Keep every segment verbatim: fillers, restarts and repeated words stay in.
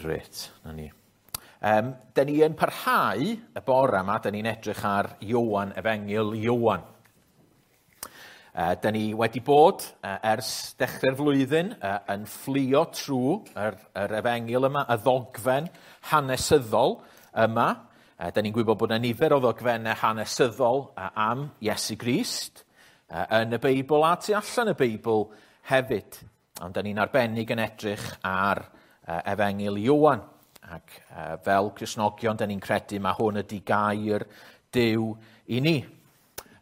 Grêt, na ni. Um, da ni yn parhau y bore yma, da ni'n edrych ar Ioan, Efengyl Ioan. Uh, da ni wedi bod uh, ers dechrau'r flwyddyn uh, yn fflio trwy yr, yr efengyl yma, y ddogfen hanesyddol yma. Uh, da ni'n gwybod bod yna nifer o ddogfennau hanesyddol uh, am Iesu Grist uh, yn y Beibl a tu allan y Beibl hefyd. Ond da ni'n arbennig yn edrych ar uh, Efengyl Ioan. Ac uh, fel Cristnogion, da ni'n credu mae hwn ydy gair Duw i ni.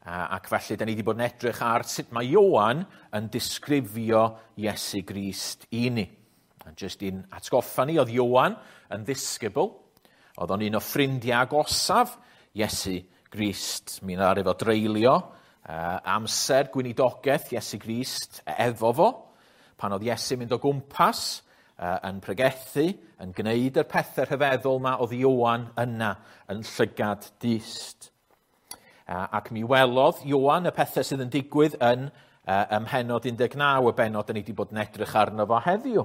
Ac felly, da ni wedi bod yn edrych ar sut mae Ioan yn disgrifio Iesu Grist i ni. A jyst i'n atgoffa ni, oedd Ioan yn ddisgybl. Oedd o'n un o ffrindiau agosaf Iesu Grist. Mi ddaru fo dreulio uh, amser gweinidogaeth Iesu Grist efo fo. Pan oedd Iesu mynd o gwmpas uh, yn pregethu, yn gwneud yr pethau rhyfeddol ma, oedd Ioan yna yn llygad dyst. Ac mi welodd Ioan y pethau sydd yn digwydd yn uh, ym mhennod un deg naw, y bennod da ni wedi bod yn edrych arno fo heddiw.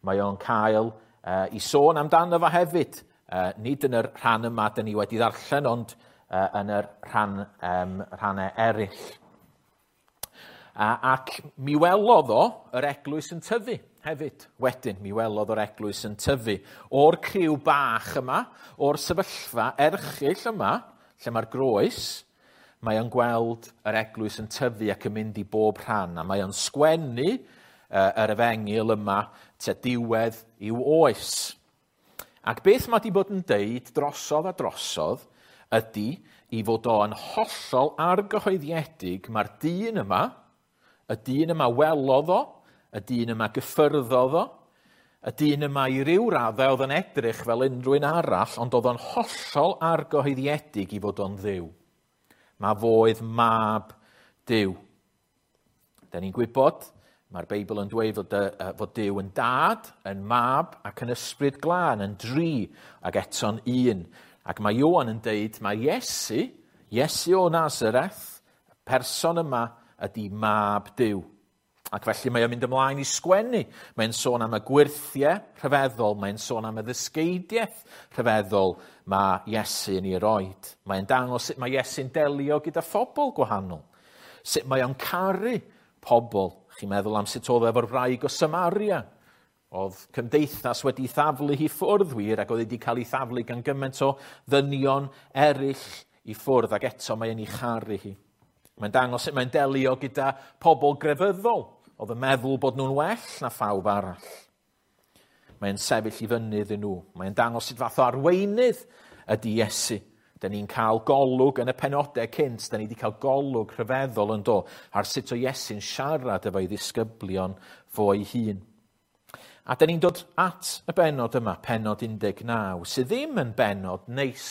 Mae o'n cael uh, i sôn amdano fo hefyd. Uh, nid yn yr rhan yma da ni wedi ddarllen, ond uh, yn yr rhan, um, rhannau eraill. Uh, ac mi welodd o yr eglwys yn tyfu hefyd. Wedyn, mi welodd o'r eglwys yn tyfu. O'r criw bach yma, o'r sefyllfa erchyll yma, lle mae'r groes, mae o'n gweld yr eglwys yn tyfu ac yn mynd i bob rhan, a mae o'n sgwennu uh, yr efengyl yma tua diwedd i'w oes. Ac beth mae di bod yn deud drosodd a drosodd ydy i fod o'n hollol argyhoeddiedig mae'r dyn yma, y dyn yma welodd o, y dyn yma gyffyrddodd o, y dyn yma i ryw raddau oedd yn edrych fel unrhyw un arall, ond oedd o'n hollol argyhoeddiedig i fod o'n Dduw. Mae fo oedd mab Duw. Da ni'n gwybod, mae'r Beibl yn dweud fod, uh, fod Duw yn dad, yn mab ac yn ysbryd glân, yn dri ac eto'n un. Ac mae Ioan yn deud, mae Iesu, Iesu o Nazareth, y person yma ydy mab Duw. Ac felly mae o'n mynd ymlaen i sgwennu. Mae'n sôn am y gwyrthiau rhyfeddol, mae'n sôn am y ddysgeidiaeth rhyfeddol mae Iesu yn ei roed. Mae'n dangos sut mae Iesu'n delio gyda phobl gwahanol. Sut mae o'n caru pobl. Chi'n meddwl am sut oedd efo'r wraig o Samaria. Oedd cymdeithas wedi thaflu hi ffwrdd wir, ac oedd wedi cael ei thaflu gan gymaint o ddynion eraill i ffwrdd, ac eto mae'n ei charu hi. Mae'n dangos sut mae'n delio gyda pobl grefyddol. Oedd yn meddwl bod nhw'n well na phawb arall. Mae'n sefyll i fyny iddyn nhw. Mae'n dangos sut fath o arweinydd ydy Iesu. Da ni'n cael golwg yn y penodau cynt, da ni wedi cael golwg rhyfeddol yn do ar sut o Iesu'n siarad efo'i ddisgyblion fo'i hun. A da ni'n dod at y bennod yma, pennod un deg naw, sydd ddim yn bennod neis.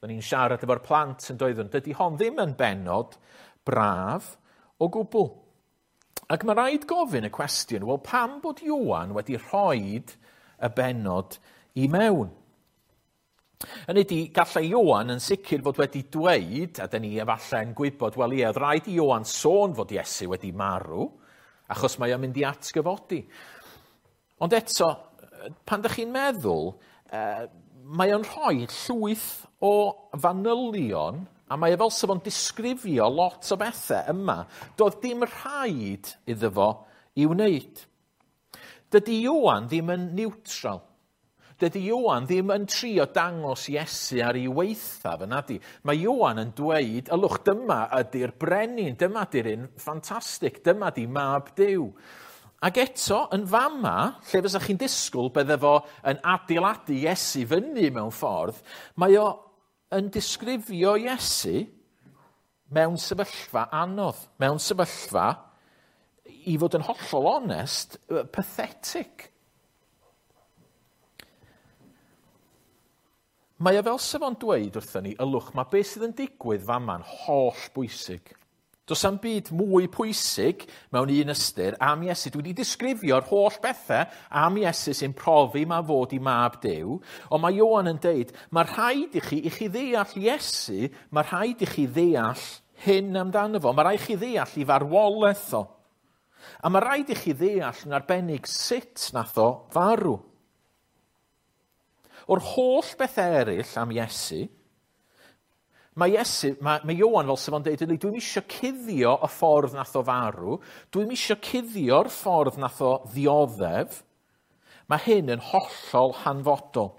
Da ni'n siarad efo'r plant yn doeddwn. Dydy hon ddim yn bennod braf o gwbl. Ac mae rhaid gofyn y cwestiwn, wel pam bod Ioan wedi rhoid y bennod i mewn? Yn ydy, gallai Ioan yn sicr fod wedi dweud, a dyn ni efallai'n gwybod, wel ie, oedd rhaid i Ioan sôn fod Iesu wedi marw, achos mae o'n mynd i atgyfodi. Ond eto, pan ydych chi'n meddwl, eh, mae o'n rhoi llwyth o fanylion, a mae e fel sef o'n disgrifio lot o bethau yma. Doedd dim rhaid iddo fo i wneud. Dydy Ioan ddim yn neutral. Dydy Ioan ddim yn trio dangos Iesu ar ei weithaf, yn adi. Mae Ioan yn dweud, ylwch, dyma ydy'r brenin, dyma ydy'r un ffantastig, dyma ydy mab Duw. Ac eto, yn fama, lle fysa chi'n disgwyl bydde fo yn adeiladu Iesu fyny mewn ffordd, mae o yn disgrifio Iesu mewn sefyllfa anodd, mewn sefyllfa, i fod yn hollol onest, pathetic. Mae o fel sef o'n dweud wrthyn ni, ylwch, mae beth sydd yn digwydd fama'n holl bwysig. Does am byd mwy pwysig mewn un ystyr am Iesu. Dwi wedi disgrifio'r holl bethau am Iesu sy'n profi ma fod i mab Duw. Ond mae Ioan yn deud, mae rhaid i chi, i chi ddeall Iesu, mae rhaid i chi ddeall hyn amdano fo. Mae rhaid i chi ddeall i farwolaeth o. A mae rhaid i chi ddeall yn arbennig sut nath o farw. O'r holl bethau eraill am Iesu, mae Iesu, mae, mae Ioan fel sef o'n deud, dwi'n eisiau cuddio y ffordd nath o farw, dwi'n eisiau cuddio'r ffordd nath o ddioddef. Mae hyn yn hollol hanfodol.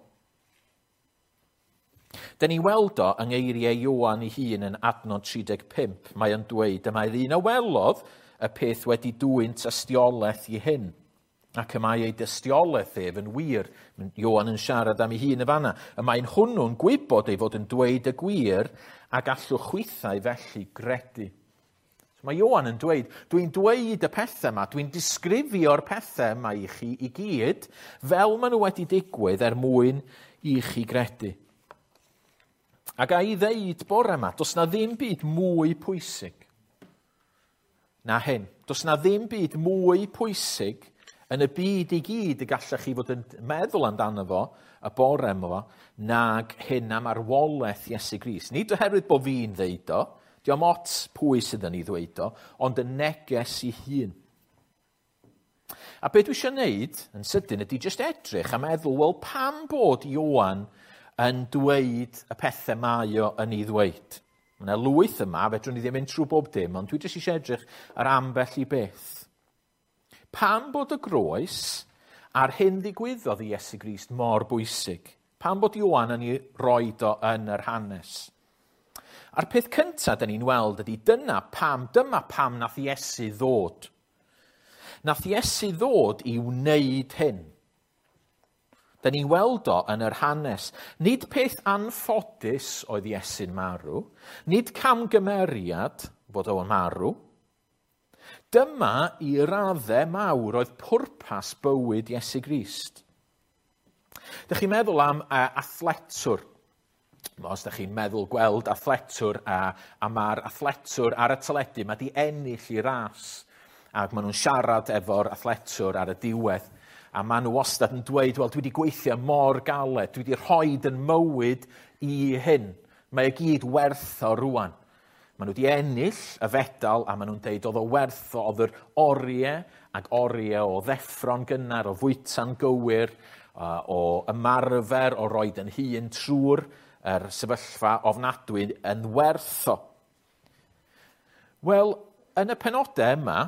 Dyn ni weld o yng ngeiriau Ioan ei hun yn adnod tri deg pump. Mae o'n dweud, dyma'r un a welodd y peth wedi dwyn tystiolaeth i hyn. Ac y mae ei dystiolaeth ef yn wir. Ioan yn siarad am ei hun y fanna. Y mae'n hwnnw'n gwybod ei fod yn dweud y gwir a gallwch chwithau felly gredu. So mae Ioan yn dweud, dwi'n dweud y pethau yma, dwi'n disgrifio'r pethau yma i chi i gyd, fel maen nhw wedi digwydd er mwyn i chi gredu. Ac a i ddeud bore yma, does na ddim byd mwy pwysig na hyn. Does na ddim byd mwy pwysig yn y byd i gyd y gallech chi fod yn meddwl amdano fo, y bore yma, nag hyn am arwolaeth Iesu Grist. Nid oherwydd bod fi'n ddeud o, dio'm ots pwy sydd yn ei ddweud o, ond y neges i hun. A be dwi eisiau wneud yn sydyn ydy jyst edrych a meddwl, wel, pam bod Ioan yn dweud y pethau mae o yn ei ddweud? Mae yna lwyth yma, fedrwn ni ddim mynd trwy bob dim, ond dwi jyst eisiau edrych ar ambell i beth. Pam bod y groes a'r hyn ddigwyddodd i Iesu Grist mor bwysig? Pam bod Ioan yn ei roed o yn yr hanes? A'r peth cyntaf dyn ni'n weld ydy dyna pam, dyma pam nath Iesu ddod. Nath Iesu ddod i wneud hyn. Dyn ni'n weld o yn yr hanes. Nid peth anffodus oedd Iesu'n marw, nid camgymeriad fod o'n marw. Dyma i raddau mawr oedd pwrpas bywyd Iesu Grist. Dych chi'n meddwl am uh, athletwr. Os dych chi'n meddwl gweld athletwr, a, a mae'r athletwr ar y teledu, mae di ennill i ras. Ac maen nhw'n siarad efo'r athletwr ar y diwedd. A maen nhw wastad yn dweud, wel, dwi wedi gweithio mor galed, dwi wedi rhoi yn mywyd i hyn. Mae e gyd werth o rwan. Maen nhw wedi ennill y fedal a maen nhw'n deud oedd o werth o, oedd yr oriau ac oriau o ddeffro'n gynnar, o fwyta'n gywir, o ymarfer, o roed yn hun trwy'r yr sefyllfa ofnadwy yn werth o. Wel, yn y penodau yma,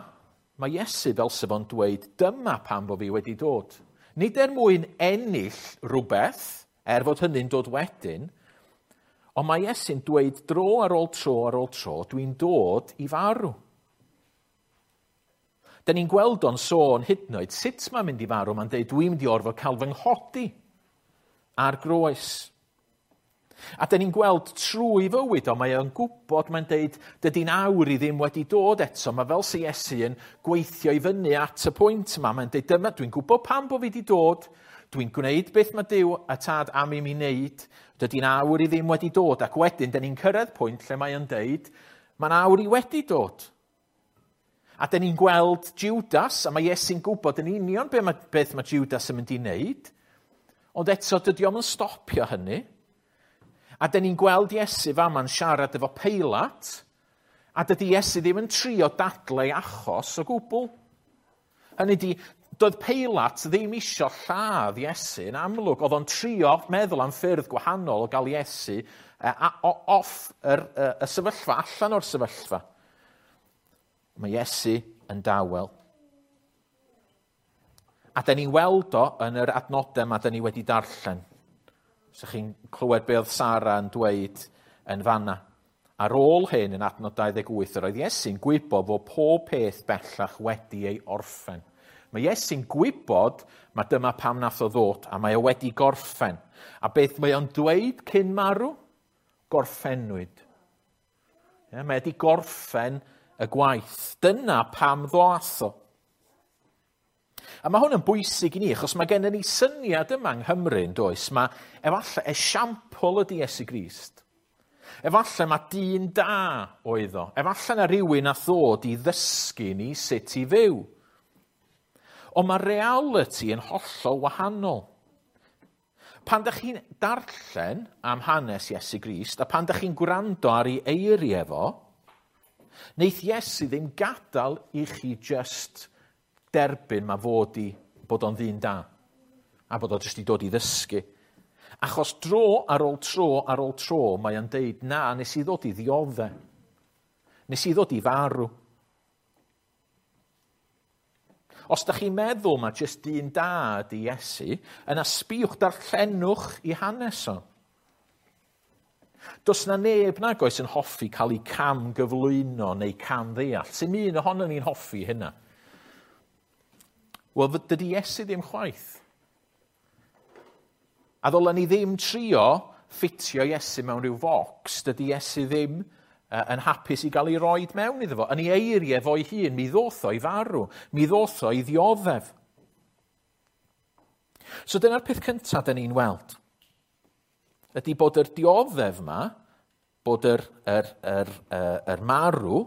mae Iesu fel sef o'n dweud, dyma pam bod fi wedi dod. Nid er mwyn ennill rhywbeth, er fod hynny'n dod wedyn, ond mae Iesu'n dweud dro ar ôl tro ar ôl tro, dwi'n dod i farw. Dyn ni'n gweld o'n sôn hyd yn oed sut mae'n mynd i farw, mae'n dweud dwi'n mynd i orfod cael fy nghodi ar groes. A dyn ni'n gweld trwy fywyd o, mae o'n gwybod, mae'n deud, dydy'n awr i ddim wedi dod eto. Mae fel sy Iesu yn gweithio i fyny at y pwynt yma. Mae'n deud, dyma, dwi'n gwybod pam bod fi wedi dod, dwi'n gwneud beth mae Duw a Tad am i mi wneud, dydy'n awr i ddim wedi dod. Ac wedyn, dyn ni'n cyrraedd pwynt lle mae o'n deud, mae'n awr i wedi dod. A dyn ni'n gweld Judas, a mae Iesu'n gwybod yn union beth mae, beth mae Judas yn mynd i wneud, ond eto dydy o'm yn stopio hynny. A dyn ni'n gweld Iesu fama'n siarad efo Peilat, a dydy Iesu ddim yn trio dadlau achos o gwbl. Hynny di, doedd Peilat ddim isio lladd Iesu yn amlwg. Oedd o'n trio meddwl am ffyrdd gwahanol o gael Iesu off yr, y, y sefyllfa, allan o'r sefyllfa. Mae Iesu yn dawel. A dyn ni'n weld o yn yr adnodau yma dyn ni wedi darllen. So chi'n clywed be oedd Sara yn dweud yn fanna. Ar ôl hyn yn adnod dau ddeg wyth, yr oedd Iesu'n gwybod fod pob peth bellach wedi ei orffen. Mae Iesu'n gwybod mae dyma pam nath o ddod, a mae o wedi gorffen. A beth mae o'n dweud cyn marw? Gorffennwyd. Ie, mae wedi gorffen y gwaith. Dyna pam ddoth o. A mae hwn yn bwysig i ni, achos mae gennym ni syniad yma yng Nghymru, yn does? Mae efallai esiampl ydy Iesu Grist. Efallai mae dyn da oedd o. Efallai na rhywun a ddod i ddysgu ni sut i fyw. Ond mae reality yn hollol wahanol. Pan dych chi'n darllen am hanes Iesu Grist, a pan dych chi'n gwrando ar ei eiriau fo, neith Iesu ddim gadael i chi just derbyn mae fod i bod o'n ddyn da, a bod o jyst i dod i ddysgu. Achos dro ar ôl tro ar ôl tro mae o'n deud, na, nes i ddod i ddiodde. Nes i ddod i farw. Os da chi'n meddwl mae jyst un da ydi Iesu, yna sbïwch, darllenwch i hanes o. Does na neb nag oes yn hoffi cael ei cam gyflwyno neu cam ddeall. Sy'n un ohono ni'n hoffi hynna? Wel, dydy Iesu ddim chwaith. A ddylen ni ddim trio ffitio Iesu mewn rhyw focs. Dydy Iesu ddim yn hapus i gael ei roed mewn iddo fo. Yn ei eiriau fo'i hun, mi ddoth o i farw. Mi ddoth o i ddioddef. So dyna'r peth cyntaf dyn ni'n weld. Ydy bod yr dioddef yma, bod yr, yr, yr, yr, yr marw,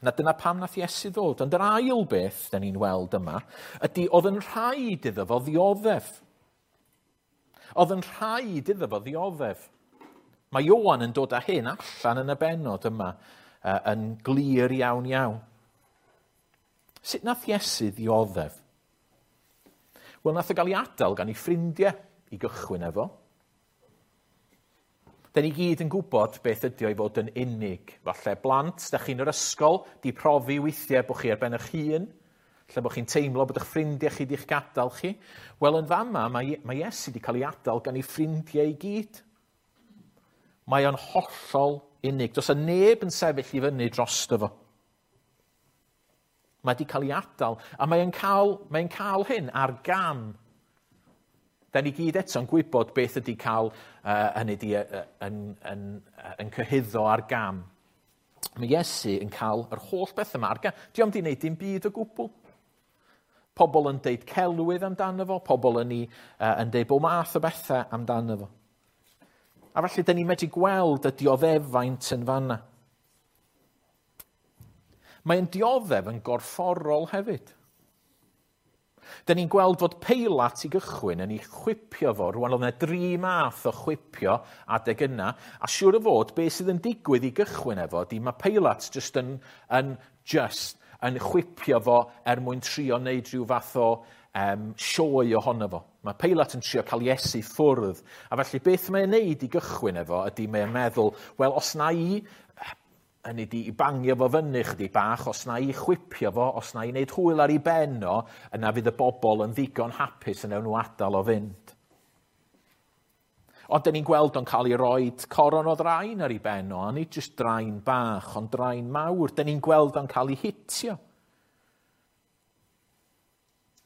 na dyna pam nath Iesu ddod. Ond yr ail beth dyn ni'n weld yma, ydy oedd yn rhaid iddo fo ddioddef. Oedd yn rhaid iddo fo ddioddef. Mae Ioan yn dod â hyn allan yn y bennod yma uh, yn glir iawn iawn. Sut nath Iesu ddioddef? Wel, nath o gael ei adael gan ei ffrindiau i gychwyn efo. Da ni gyd yn gwybod beth ydy o i fod yn unig. Falle blant, da chi'n yr ysgol, di profi weithiau bod chi ar ben eich hun, lle bod chi'n teimlo bod eich ffrindiau chi di'ch gadael chi. Wel, yn fama, mae, mae Iesu wedi cael ei adael gan ei ffrindiau i gyd. Mae o'n hollol unig. Does 'na neb yn sefyll i fyny drosto fo. Mae wedi cael ei adael, a mae'n cael, mae'n cael hyn ar gam. Da ni gyd eto'n gwybod beth ydy cael uh, hynny di, uh, yn, yn, yn, yn cyhuddo ar gam. Mae Iesu yn cael yr holl beth yma ar gam. Di o'm di wneud dim byd o gwbl. Pobl yn deud celwydd amdano fo, pobl yn, i, uh, yn deud bob math o bethau amdano fo. A felly, da ni'n medru gweld y dioddefaint yn fanna. Mae'n dioddef yn gorfforol hefyd. Da ni'n gweld fod Peilat i gychwyn yn ei chwipio fo. Rwan oedd yna dri math o chwipio adeg yna. A siŵr o fod, beth sydd yn digwydd i gychwyn efo, di mae Peilat just yn, yn, just yn chwipio fo er mwyn trio wneud rhyw fath o um, sioe ohono fo. Mae Peilat yn trio cael Iesu ffwrdd. A felly beth mae'n neud i gychwyn efo ydy mae'n meddwl, wel, os na i, hynny di, i bangio fo fyny chydig bach, os na i chwipio fo, os na i wneud hwyl ar ei ben o, yna fydd y bobl yn ddigon hapus yn ewn nhw adael o fynd. Ond dyn ni'n gweld o'n cael ei roed coron o ddraen ar ei ben o, a nid jyst draen bach, ond draen mawr. Dyn ni'n gweld o'n cael ei hitio.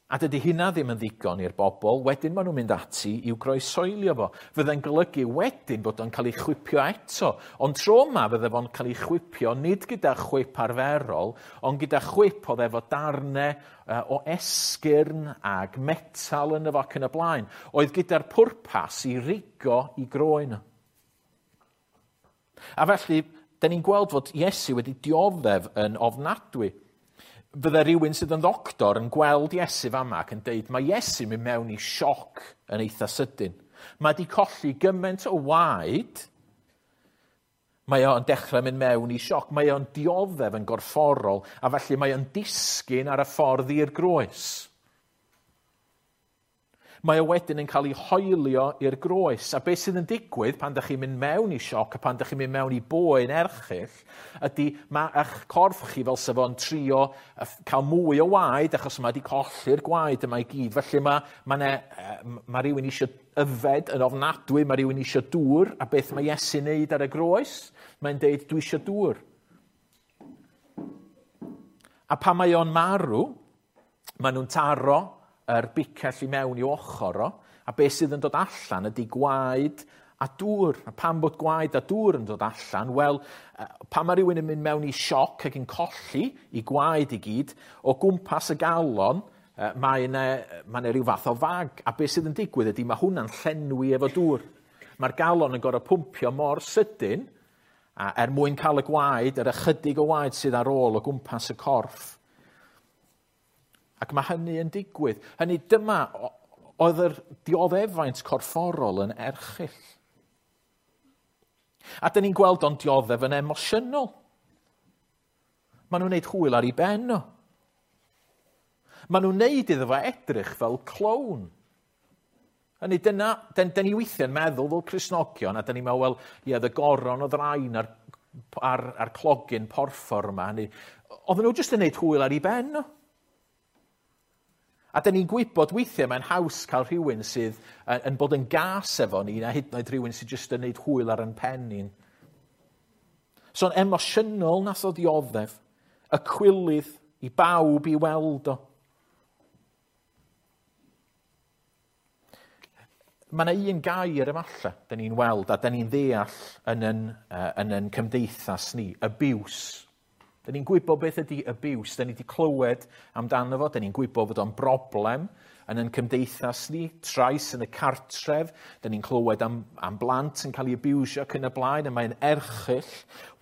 A dydy hynna ddim yn ddigon i'r bobl, wedyn maen nhw'n mynd ati i'w groesoelio fo. Fydde'n golygu wedyn bod o'n cael ei chwipio eto. Ond tro yma fydde fo'n cael ei chwipio nid gyda chwip arferol, ond gyda chwip oedd efo darnau o esgyrn ag metal yn efo ac yn y blaen. Oedd gyda'r pwrpas i rigo i groen. A felly, da ni'n gweld fod Iesu wedi dioddef yn ofnadwy. Fydde rhywun sydd yn ddoctor yn gweld Iesu fama ac yn deud, mae Iesu mynd mewn i sioc yn eitha sydyn. Mae wedi colli gymaint o waed, mae o'n dechrau mynd mewn i sioc, mae o'n dioddef yn gorfforol, a felly mae o'n disgyn ar y ffordd i'r groes. Mae o wedyn yn cael ei hoelio i'r groes. A beth sydd yn digwydd pan ydych chi'n mynd mewn i sioc a pan ydych chi'n mynd mewn i boen erchyll ydy mae eich corff chi fel sef o'n trio cael mwy o waed achos mae wedi colli'r gwaed yma i gyd. Felly mae, mae, ne, mae rhywun eisiau yfed yn ofnadwy, mae rhywun eisiau dŵr, a beth mae Iesu'n neud ar y groes? Mae'n deud, dwi eisiau dŵr. A pan mae o'n marw, maen nhw'n taro yr bicell i mewn i ochr o, a beth sydd yn dod allan ydy gwaed a dŵr. A pam bod gwaed a dŵr yn dod allan? Wel, pan mae rhywun yn mynd mewn i sioc ac yn colli i gwaed i gyd, o gwmpas y galon, mae yna, mae yna rhyw fath o fag. A beth sydd yn digwydd ydy mae hwnna'n llenwi efo dŵr. Mae'r galon yn gorfod pwmpio mor sydyn, a er mwyn cael y gwaed, yr ychydig o waed sydd ar ôl o gwmpas y corff. Ac mae hynny yn digwydd. Hynny dyma oedd yr dioddefaint corfforol yn erchyll. A dyn ni'n gweld o'n dioddef yn emosiynol. Maen nhw'n gwneud hwyl ar ei ben o. Maen nhw'n gwneud iddo fo edrych fel clown. Hynny, dyna, dyn, dyn ni weithiau'n meddwl fel Cristnogion, a dyn ni'n meddwl, wel, ie, y goron oedd rhain a'r, ar, ar clogyn porffor yma. Hynny, oedden nhw jyst yn neud hwyl ar ei ben nhw. A dyn ni'n gwybod weithiau mae'n haws cael rhywun sydd yn, yn bod yn gas efo ni, na hyd yn oed rhywun sydd jyst yn neud hwyl ar yn pen ni'n. So'n emosiynol nath o dioddef, y cwilydd i bawb i weld o. Mae yna un gair efallai, dyn ni'n weld a dyn ni'n ddeall yn yn, uh, yn yn cymdeithas ni, abuse. Dyn ni'n gwybod beth ydy abuse, dyn ni wedi clywed amdano fo, dyn ni'n gwybod fod o'n broblem yn yn cymdeithas ni, trais yn y cartref, dyn ni'n clywed am, am blant yn cael ei abusio ac yn y blaen, a mae'n erchyll.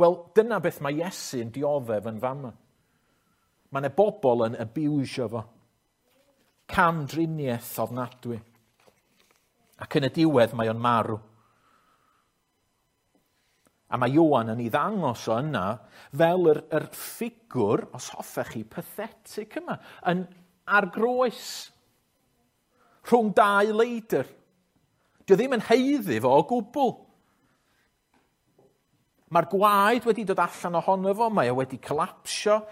Wel, dyna beth mae Iesu yn dioddef yn fama. Mae yna bobl yn abusio fo. Camdriniaeth ofnadwy. Ac yn y diwedd mae o'n marw. A mae Ioan yn ei ddangos o yna fel yr, yr ffigwr, os hoffech chi, pathetic yma, yn ar groes rhwng dau leidr. Dio ddim yn haeddu fo o gwbl. Mae'r gwaed wedi dod allan ohono fo, mae o wedi colapsio,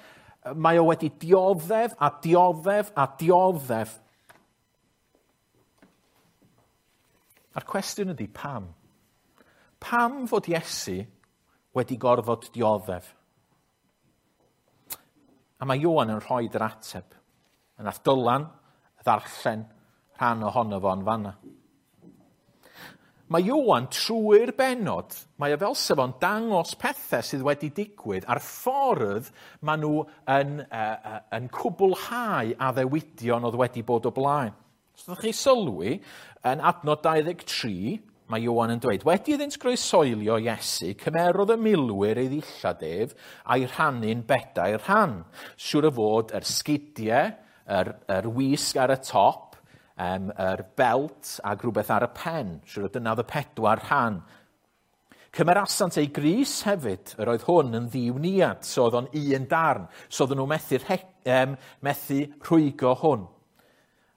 mae o wedi dioddef a dioddef a dioddef. A'r cwestiwn ydy pam? Pam fod Iesu wedi gorfod dioddef? A mae Ioan yn rhoi yr ateb. A nath Dylan ddarllen rhan ohono fo yn fanna. Mae Ioan trwy'r bennod, mae o fel sef o'n dangos pethau sydd wedi digwydd a'r ffordd maen nhw yn, uh, yn cwblhau addewidion oedd wedi bod o blaen. Os ydych chi sylwi, yn adnod dau ddeg tri, mae Ioan yn dweud, wedi iddynt groesoelio Iesu, cymerodd y milwyr ei ddillad ef a'i rhannu'n bedair rhan. Siŵr o fod yr sgidiau, yr, yr wisg ar y top, um, yr belt ac rhywbeth ar y pen. Siŵr o dyna oedd y pedwar rhan. Cymerasant ei grys hefyd, yr oedd hwn yn ddiwniad, so oedd o'n un darn, so oedden nhw methu, um, methu rhwygo hwn.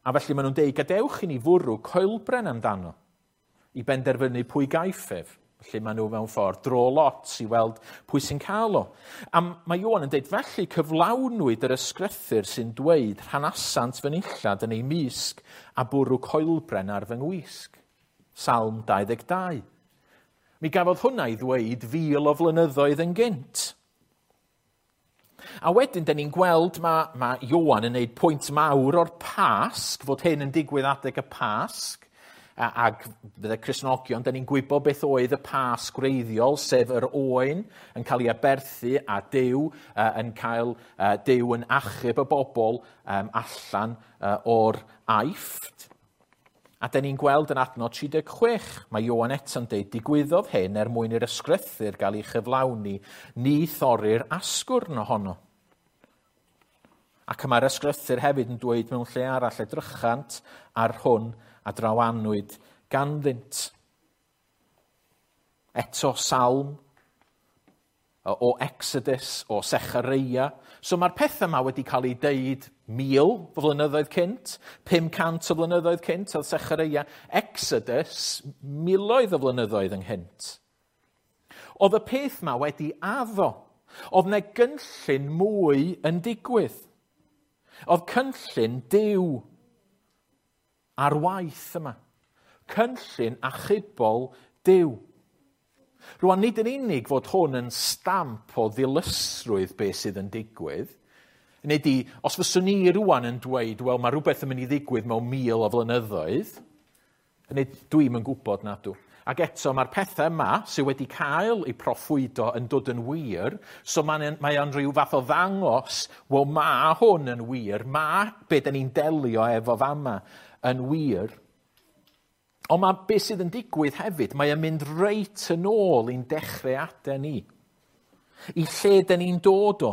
A felly maen nhw'n deud, gadewch i ni fwrw coelbren amdano i benderfynu pwy gaiff ef. Felly maen nhw mewn ffordd dro lot i weld pwy sy'n cael o. A mae Ioan yn deud, felly cyflawnwyd yr ysgrythur sy'n dweud rhanasant fy nillad yn ei misg a bwrw coelbren ar fy ngwisg. Salm dau ddeg dau. Mi gafodd hwnna i ddweud fil o flynyddoedd yn gynt. A wedyn, dyn ni'n gweld mae, mae Ioan yn gwneud pwynt mawr o'r Pasg, fod hyn yn digwydd adeg y Pasg, ac fydde Cristnogion, dyn ni'n gwybod beth oedd y Pasg gwreiddiol, sef yr oen yn cael ei aberthu a Duw yn cael Duw yn achub y bobl allan o'r Aifft. A dyn ni'n gweld yn adnod tri deg chwech, mae Ioan eto'n deud, digwyddodd hyn er mwyn i'r ysgrythur gael ei chyflawni, ni thorri'r asgwrn ohono. Ac mae'r ysgrythur hefyd yn dweud mewn lle arall, edrychant ar hwn a drawanwyd ganddynt. Eto Salm, o Exodus, o Sechareia. So mae'r pethau yma wedi cael ei deud mil o flynyddoedd cynt, pum cant o flynyddoedd cynt oedd Sechareia. Exodus, miloedd o flynyddoedd ynghynt. Oedd y peth yma wedi addo. Oedd 'na gynllun mwy yn digwydd. Oedd cynllun Duw ar waith yma. Cynllun achubol Duw. Rwan, nid yn unig fod hwn yn stamp o ddilysrwydd beth sydd yn digwydd. Nid i, os fyswn ni rwan yn dweud, wel, mae rhywbeth yn mynd i ddigwydd mewn mil o flynyddoedd, nid dwi'm yn gwybod na dw. Ac eto, mae'r pethau yma sydd wedi cael eu proffwydo yn dod yn wir, so mae'n, mae o'n rhyw fath o ddangos, wel, mae hwn yn wir, mae be da ni'n delio efo fama yn wir. Ond mae beth sydd yn digwydd hefyd, mae o'n mynd reit yn ôl i'n dechreuadau ni. I lle dyn ni'n dod o.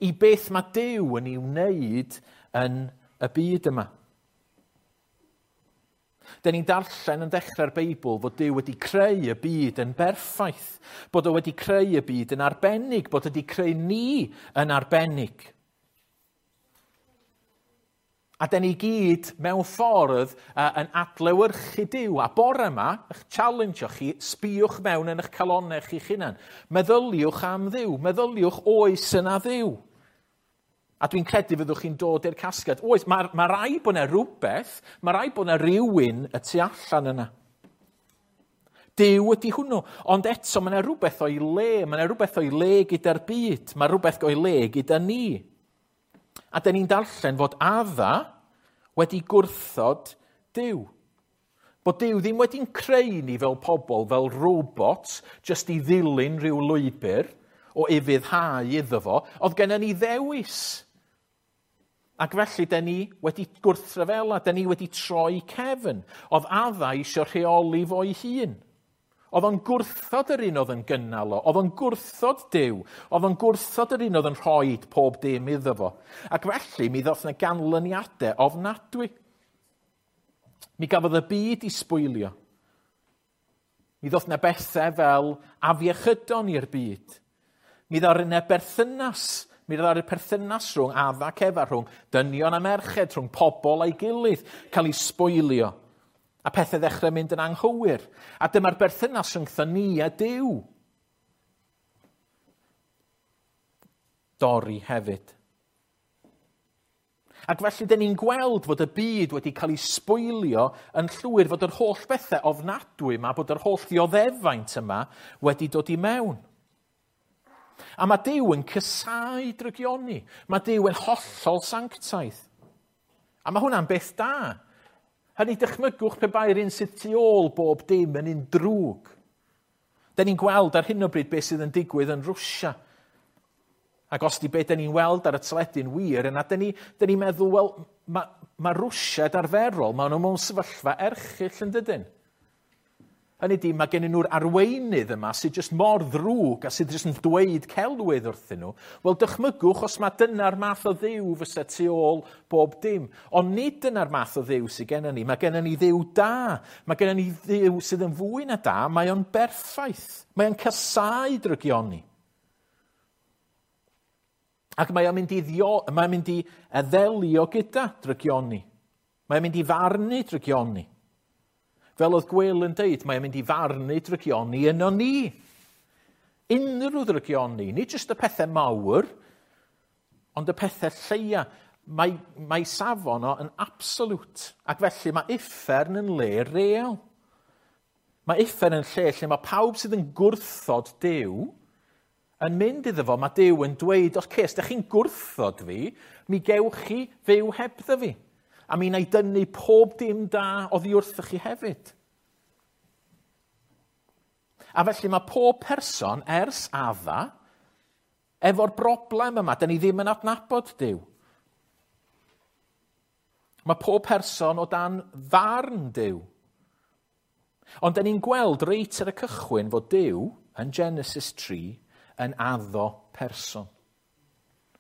I beth mae Duw yn ei wneud yn y byd yma. Dyn ni'n darllen yn dechrau'r Beibl fod Duw wedi creu y byd yn berffaith, bod o wedi creu y byd yn arbennig, bod o wedi creu ni yn arbennig. A da ni gyd mewn ffordd uh, yn adlewyrchu Duw. A bore yma, eich challenge chi, sbïwch mewn yn eich calonau chi'ch hunan. Meddyliwch am Dduw. Meddyliwch oes yna Dduw. A dwi'n credu fyddwch chi'n dod i'r casgliad. Oes, mae, mae rhaid bod yna rhywbeth, mae rhaid bod yna rhywun y tu allan yna. Duw ydy hwnnw. Ond eto, mae yna rhywbeth o'i le. Mae yna rhywbeth o'i le gyda'r byd. Mae rhywbeth o'i le gyda ni. A da ni'n darllen fod Adda wedi gwrthod Duw. Bod Duw ddim wedi'n creu ni fel pobl, fel robots, jyst i ddilyn rhyw lwybr o ufuddhau iddo fo. Oedd gennym ni ddewis. Ac felly, da ni wedi gwrthryfela, da ni wedi troi cefn. Oedd Adda eisiau rheoli fo'i hun. Oedd o'n gwrthod yr un oedd yn gynnal o, oedd o'n gwrthod Duw, oedd o'n gwrthod yr un oedd yn rhoi pob dim iddo fo. Ac felly, mi ddoth yna ganlyniadau ofnadwy. Mi gafodd y byd i sbwylio. Mi ddoth yna bethau fel afiechydon i'r byd. Mi ddoth yna berthynas, mi ddoth yna perthynas rhwng Adda ac Efa, rhwng dynion a merched, rhwng pobl a'i gilydd, cael ei sbwylio. A pethau ddechrau mynd yn anghywir. A dyma'r berthynas rhyngtho ni a Duw. Dorri hefyd. Ac felly, dyn ni'n gweld fod y byd wedi cael ei sbwylio yn llwyr, fod yr holl bethau ofnadwy yma, bod yr holl ddioddefaint yma wedi dod i mewn. A mae Duw yn casáu drygioni. Mae Duw yn hollol sanctaidd. A mae hwnna'n beth da. Hynny, dychmygwch pe bai'r un sydd tu ôl bob dim yn un drwg. Da ni'n gweld ar hyn o bryd beth sydd yn digwydd yn Rwsia. Ac os di beth da ni'n weld ar y teledu'n wir, yna da ni'n ni, ni meddwl, wel, mae ma Rwsiaid arferol, maen nhw mewn sefyllfa erchyll yn dydyn. Hynny di, mae gen nhw'r arweinydd yma sydd jyst mor ddrwg a sydd jyst yn dweud celwydd wrthyn nhw. Wel, dychmygwch os mae dyna'r math o Dduw fysa tu ôl bob dim. Ond nid dyna'r math o Dduw sydd gennym ni. Mae gennym ni Dduw da. Mae gennym ni Dduw sydd yn fwy na da. Mae o'n berffaith. Mae o'n casáu drygioni. Ac mae o'n mynd i, ddio, mae o'n mynd i ddelio gyda drygioni. Mae o'n mynd i farnu drygioni. Fel oedd Gwil yn deud, mae'n mynd i farnu drygioni yno ni. Unrhyw drygioni, nid jyst y pethau mawr, ond y pethau lleia. Mae, mae safon o yn absolute. Ac felly mae uffern yn le real. Mae uffern yn lle lle mae pawb sydd yn gwrthod Duw yn mynd iddo fo. Mae Duw yn dweud, oce, os ydych chi'n gwrthod fi, mi gewch chi fyw hebddo fi. A mi wna i dynnu pob dim da oddi wrthoch chi hefyd. A felly mae pob person ers Adda efo'r broblem yma. Da ni ddim yn adnabod Duw. Mae pob person o dan farn Duw. Ond da ni'n gweld reit ar y cychwyn fod Duw yn Genesis tri yn addo person.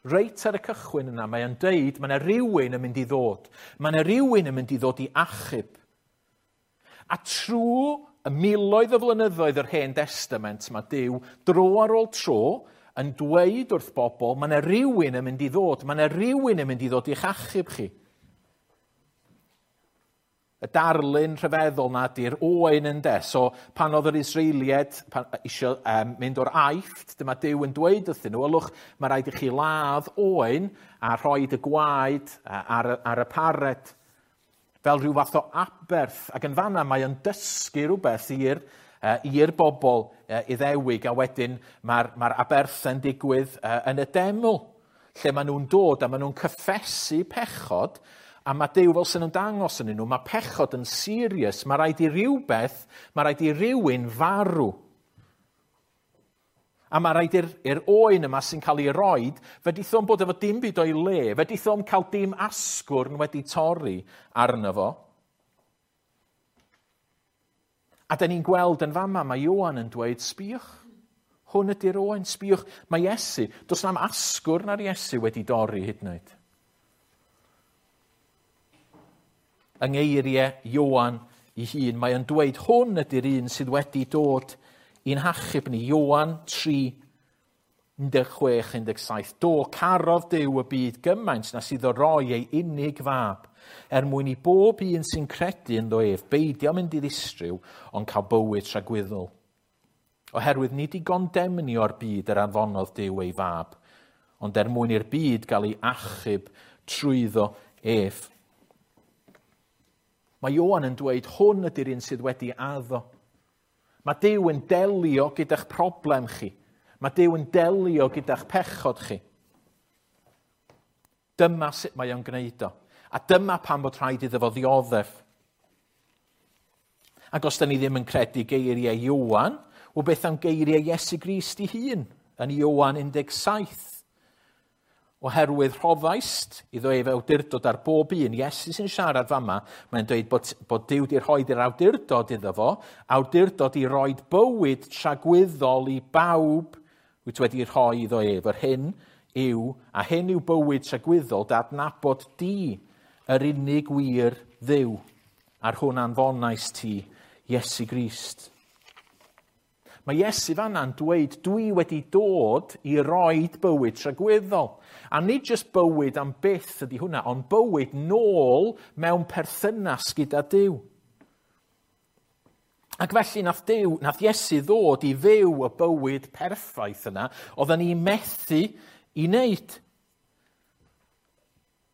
Reit ar y cychwyn yna, mae o'n deud, mae yna rhywun yn mynd i ddod. Mae yna rhywun yn mynd i ddod i achub. A trwy y miloedd o flynyddoedd yr Hen Testament, mae Duw dro ar ôl tro yn dweud wrth bobl, mae yna rhywun yn mynd i ddod, mae yna rhywun yn mynd i ddod i'ch achub chi. Y darlun rhyfeddol na di'r oen ynde. So pan oedd yr Israeliaid pan, isio um, mynd o'r Aifft, dyma Duw yn dweud wrthyn nhw, ylwch, mae rhaid i chi ladd oen a rhoi y gwaed ar, ar y pared fel rhyw fath o aberth. Ac yn fanna mae o'n dysgu rhywbeth i'r uh, i'r bobl uh, Iddewig, a wedyn mae'r mae aberthau'n digwydd uh, yn y deml, lle maen nhw'n dod a maen nhw'n cyffesu pechod. A mae Duw fel sy'n ymddangos yn nhw, mae pechod yn serious, mae rhaid i rhywbeth, mae rhaid i rywun farw. A mae rhaid i'r, i'r oen yma sy'n cael ei roed, fedrith o'm bod efo dim byd o'i le, fedrith o'm cael dim asgwrn wedi torri arno fo. A da ni'n gweld yn fama, mae Ioan yn dweud, sbïwch, hwn ydy'r oen, sbïwch, mae Iesu, does na'm asgwrn ar Iesu wedi dorri hyd yn oed. Yng ngeiriau Ioan ei hun, mae o'n dweud hwn ydy'r un sydd wedi dod i'n hachub ni. Ioan tri, un deg chwech, un deg saith. Do, carodd Duw y byd gymaint nes iddo roi ei unig fab, er mwyn i bob un sy'n credu ynddo ef beidio mynd i ddistryw, ond cael bywyd tragwyddol. Oherwydd nid i gondemnio'r byd yr anfonodd Duw ei fab, ond er mwyn i'r byd gael ei achub trwyddo ef. Mae Ioan yn dweud hwn ydy'r un sydd wedi addo. Mae Duw yn delio gyda'ch problem chi. Mae Duw yn delio gyda'ch pechod chi. Dyma sut mae o'n gwneud o. A dyma pam bod rhaid iddo fo ddioddef. Ac os da ni ddim yn credu geiriau Ioan, wel beth am geiriau Iesu Grist ei hun yn Ioan un deg saith? Oherwydd rhoddaist iddo ef awdurdod ar bob un. Iesu sy'n siarad fama, mae'n dweud bod, bod Duw wedi rhoi yr awdurdod iddo fo, awdurdod i roed bywyd tragwyddol i bawb wyt wedi rhoi iddo ef. Yr hyn yw, a hyn yw bywyd tragwyddol, d'adnabod di, yr unig wir Dduw, a'r hwn anfonais ti, Iesu Grist. Mae Iesu fanna'n dweud, dwi wedi dod i roed bywyd tragwyddol. A nid jyst bywyd am byth ydy hwnna, ond bywyd nôl mewn perthynas gyda Duw. Ac felly nath Duw, nath Iesu ddod i fyw y bywyd perffaith yna, oedden ni methu i wneud.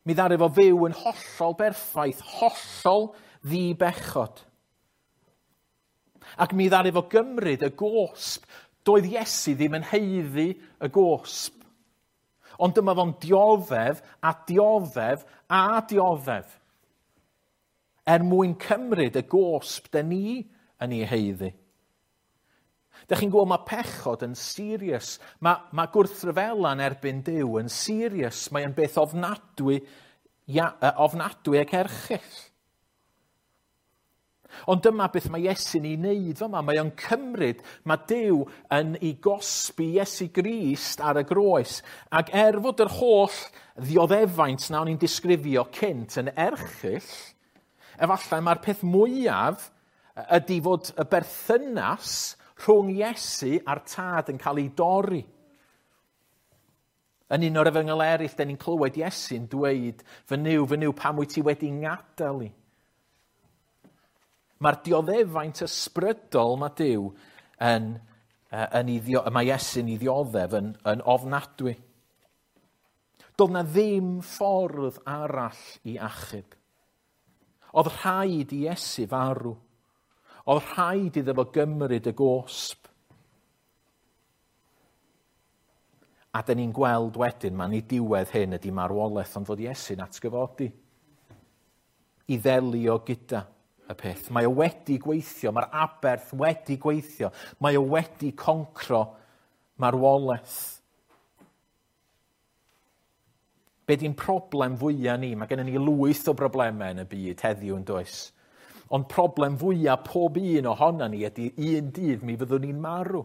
Mi ddaru fo fyw yn hollol berffaith, hollol ddibechod. Ac mi ddaru fo gymryd y gosb. Doedd Iesu ddim yn haeddu y gosb. Ond dyma fo'n dioddef a dioddef a dioddef. Er mwyn cymryd y gosb da ni yn ei haeddu. Dych chi'n gweld mae pechod yn serious. Mae, mae gwrthryfela'n erbyn Duw yn serious. Mae'n beth ofnadwy, ia, ofnadwy ac erchyll. Ond dyma beth mae Iesu'n ei wneud fama. Mae o'n cymryd, mae Duw yn ei gosbi Iesu Grist ar y groes. Ac er fod yr holl ddioddefaint na o'n i'n disgrifio cynt yn erchyll, efallai mae'r peth mwyaf ydy fod y berthynas rhwng Iesu a'r Tad yn cael ei dorri. Yn un o'r efengyl eraill, da ni'n clywed Iesu'n dweud, fy Nuw, fy Nuw, pam wyt ti wedi ngadael i? Mae'r dioddefaint ysbrydol mae Duw yn, yn ei, mae Iesu'n ei ddioddef yn, yn ofnadwy. Doedd na ddim ffordd arall i achub. Oedd rhaid i Iesu farw. Oedd rhaid iddo fo gymryd y gosb. A dyn ni'n gweld wedyn, mae'n ei diwedd hyn ydy marwolaeth, ond fod Iesu'n atgyfodi i ddelio gyda y peth. Mae o wedi gweithio, mae'r aberth wedi gweithio, mae o wedi concro marwolaeth. Be di'n problem fwyaf ni? Mae gennym ni lwyth o broblemau yn y byd heddiw yn does. Ond problem fwyaf pob un ohono ni ydy un dydd mi fyddwn ni'n marw.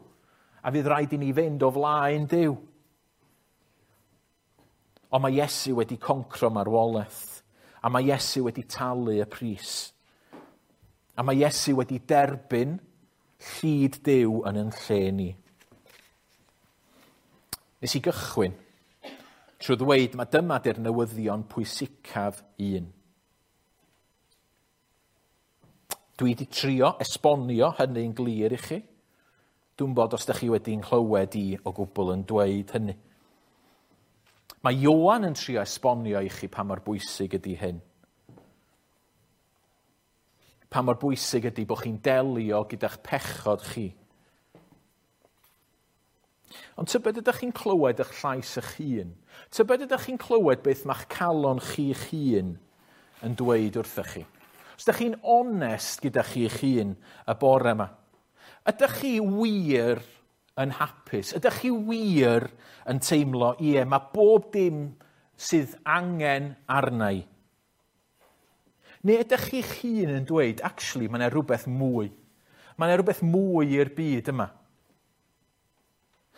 A fydd rhaid i ni fynd o flaen Duw. Ond mae Iesu wedi concro marwolaeth. A mae Iesu wedi talu y pris. A mae Iesu wedi derbyn llid Duw yn yn lle ni. Nes i gychwyn trwy ddweud mae dyma di'r newyddion pwysicaf un. Dwi wedi trio esbonio hynny'n glir i chi. Dwi'n bod os ydych chi wedi'n clywed i o gwbl yn dweud hynny. Mae Ioan yn trio esbonio i chi pa mor bwysig ydy hyn. Pa mor bwysig ydy bod chi'n delio gyda'ch pechod chi. Ond tybed ydych chi'n clywed eich llais eich hun? Tybed ydych chi'n clywed beth mae'ch calon chi'ch hun yn dweud wrthych chi? Os ydych chi'n onest gyda chi'ch hun y bore yma, ydych chi wir yn hapus? Ydych chi wir yn teimlo, ie, mae bob dim sydd angen arna i? Neu ydych chi'ch hun yn dweud, actually, mae yna rhywbeth mwy. Mae yna rhywbeth mwy i'r byd yma.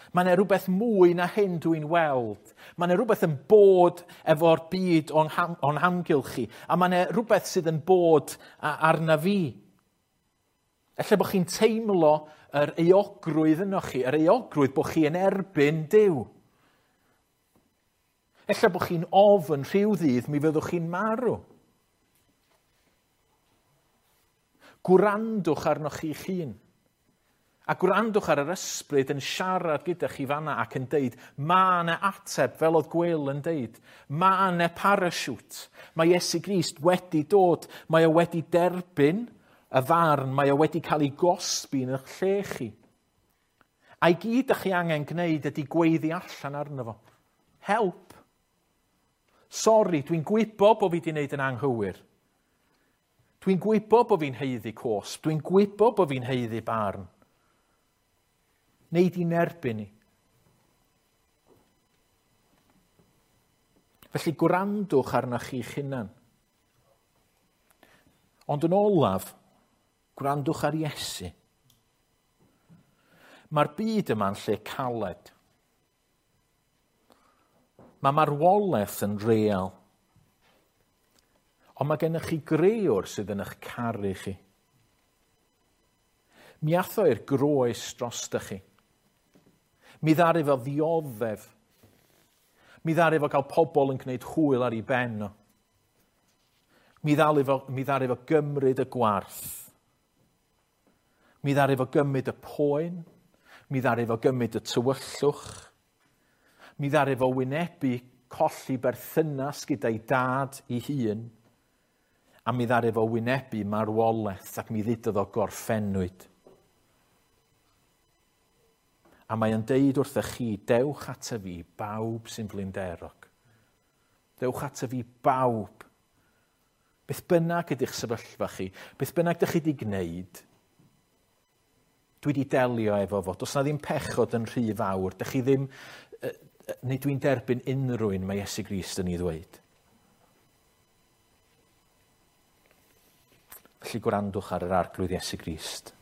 Mae yna rhywbeth mwy na hyn dwi'n weld. Mae yna rhywbeth yn bod efo'r byd o'n, ham, o'n hamgylch chi. A mae yna rhywbeth sydd yn bod arna fi. Ella bod chi'n teimlo yr euogrwydd yno chi, yr euogrwydd bod chi yn erbyn Duw. Ella bod chi'n ofn rhyw ddydd mi fyddwch chi'n marw. Gwrandwch arnoch chi'ch hun. A gwrandwch ar yr ysbryd yn siarad gyda chi fanna ac yn deud, ma' 'na ateb, fel oedd Gwil yn deud. Ma' 'na parachute. Mae Iesu Grist wedi dod. Mae o wedi derbyn y farn. Mae o wedi cael ei gosbi yn eich lle chi. A'i gyd ydych chi angen gwneud ydy gweiddi allan arno fo. Help. Sori, dwi'n gwybod bod fi wedi gwneud yn anghywir. Dwi'n gwybod bod fi'n haeddu cosb. Dwi'n gwybod bod fi'n haeddu barn. Neud i'n erbyn ni. Felly gwrandwch arnoch chi'ch hunan. Ond yn olaf, gwrandwch ar Iesu. Mae'r byd yma'n lle caled. Mae marwolaeth yn real. Ond mae gennych chi greawr sydd yn eich caru chi. Mi ath o i'r groes drostoch chi. Mi ddaru fo ddioddef. Mi ddaru fo gael pobl yn gwneud hwyl ar ei ben o. Mi ddaru fo, mi ddaru fo gymryd y gwarth. Mi ddaru fo gymryd y poen. Mi ddaru fo gymryd y tywyllwch. Mi ddaru fo wynebu colli berthynas gyda'i dad ei hun. A mi ddaru fo wynebu marwolaeth ac mi ddudodd o gorffennwyd. A mae o'n deud wrthych chi, dewch ata fi bawb sy'n flinderog. Dewch ata fi bawb. Beth bynnag ydych sefyllfa chi, beth bynnag ydych chi wedi gwneud, dwi wedi delio efo fo. Does na ddim pechod yn rhy fawr. Dych chi ddim, neu dwi'n derbyn unrhyw un mae Iesu Grist yn ei ddweud. Felly gwrandwch ar yr Arglwydd Iesu Grist.